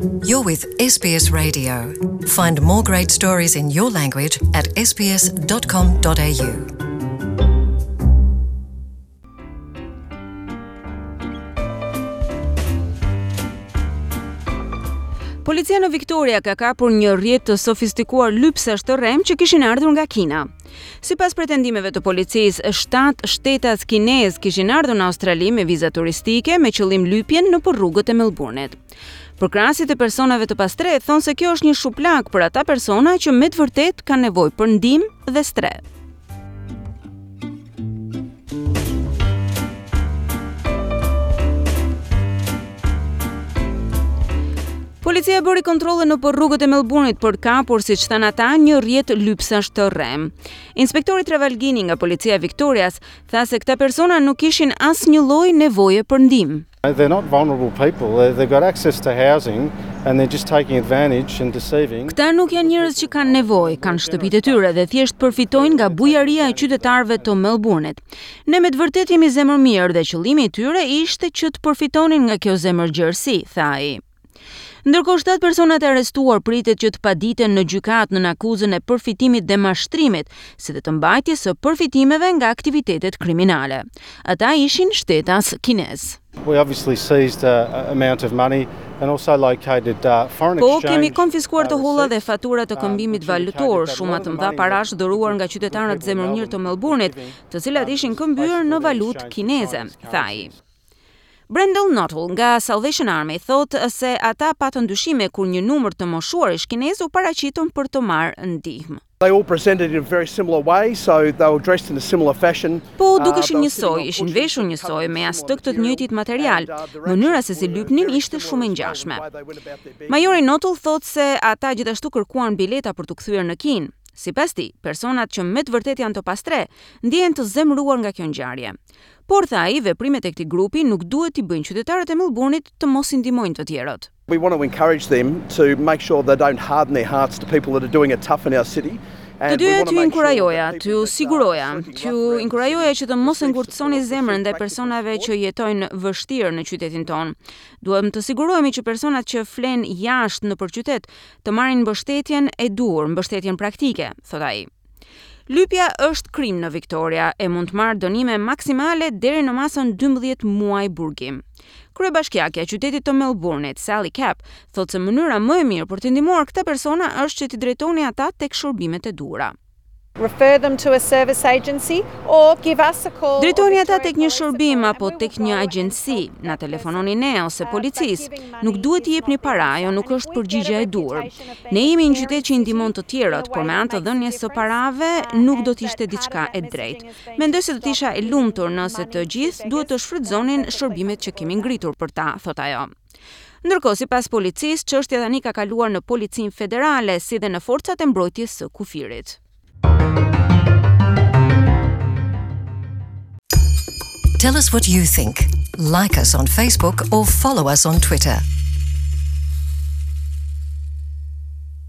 You're with SBS Radio. Find more great stories in your language at sbs.com.au. Policia në Victoria ka kapur një rrjet të sofistikuar lypsash të rremë që kishin ardhur nga Kina. Sipas pretendimeve të policisë, 7 shtetas kinezë kishin ardhur në Australi me viza turistike me qëllim lypjen nëpër rrugët e Melbourne-it. Përkrahësit e personave të pastrehë thonë se kjo është një shuplakë për ata persona që me të vërtetë kanë nevojë për ndihmë dhe strehë. Policia bëri kontrolle nëpër rrugët e Melbourne-it për të kapur, siç thanë ata, një rrjet lypsash të rremë. Inspektori Trevalgini nga policia e Victorias tha se këta persona nuk kishin asnjë lloj nevoje për ndihmë. They're not vulnerable people. They've got access to housing and they're just taking advantage and deceiving. Këta nuk janë njerëz që kanë nevojë, kanë shtëpitë e tyre dhe thjesht përfitojnë nga bujaria e qytetarëve të Melbourne-it. Ne me të vërtetë jemi zemërmirë dhe qëllimi i tyre ishte që të përfitonin nga kjo zemërgjerësi, tha ai. Ndërkohë, 7 personat e arrestuar pritet që të paditen në gjykatë nën akuzën e përfitimit dhe mashtrimit, si dhe të mbajtjes së përfitimeve nga aktivitetet kriminale. Ata ishin shtetas kinezë. We obviously seized a amount of money and also located uh, foreign Po, exchange. kemi konfiskuar të holla dhe fatura të um, këmbimit which valutor, indicated that a shuma lot të of the mëdha money parash that dhuruar nga good qytetarët people in zemërmirë të Melbourne Melbourne-it, were të cilat giving, ishin um, këmbyer në basically valutë exchanged for kineze, Chinese tha ai. currencies. Brendel Nuttall nga Salvation Army thotë se ata patën dyshime kur një numër të moshuarish kinezë u paraqitën për të marrë ndihmë. They all presented in a very similar way, so they were dressed in a similar fashion. Po Uh, they dukeshin were njësoj, sitting on ishin cushions veshur covered njësoj in me similar jastëk të të material, njëjtit material. and, uh, their Mënyra actions se si were lypnin very ishte similar shumë e as well in the ngjashme. way they went about their business. Majori Nuttall thotë se ata gjithashtu kërkuan bileta për t'u kthyer në Kinë. Sipas tij, personat që me të vërtetë janë të pastrehë ndjehen të zemëruar nga kjo ngjarje. Por tha ai, veprimet e këtij grupi nuk duhet t'i bëjnë qytetarët e Melbourne-it të mos i ndihmojnë të tjerët. We want to encourage them to make sure they don't harden their hearts to people that are doing it tough in our city. Të And we dyja want to t'ju make sure that inkurajoja, people t'ju that are siguroja, sleeping t'ju rough around the inkurajoja city që të mos e receive ngurtësoni support, zemrën receive ndaj practical personave support. që jetojnë vështirë në qytetin tonë. Duhem të sigurohemi që personat që flen jashtë nëpër qytet të marrin mbështetjen e duhur, mbështetjen praktike, thot ai. Lypja është krim në Victoria e mund të marrë dënime maksimale deri në masën 12 muaj burgim. Kryebashkiakja e qytetit të Melbourne-it, Sally Capp, thotë se mënyra më e mirë për të ndihmuar këta persona është që t'i drejtoni ata tek shërbimet e duhura. Refer them to a service agency or give us a call. or Drejtoni ata Victoria tek një Police a shërbim call and apo we will tek go një and agjenci, help na that telefononi person. ne ose Uh, but policisë. giving Nuk money duhet t'i is jepni not the para, answer. ajo nuk And if është we get a përgjigjja e duhur. reputation of being Ne a jemi një caring qytet që i ndihmon të city in a tjerët, por way me that anë të makes a dhënies së difference, parave uh, nuk and do të that ishte part of diçka that e messaging drejtë. has been to Mendoj se do të stop isha e giving lumtur nëse money të to gjithë duhet të beggars. They're shfrytëzonin perfectly shërbimet që comfortable kemi with that. ngritur për ta, thot ajo. Ndërkohë, sipas policisë, çështja tani ka kaluar në Policinë Federale si dhe në forcat e mbrojtjes së kufirit. Tell us what you think. Like us on Facebook or follow us on Twitter.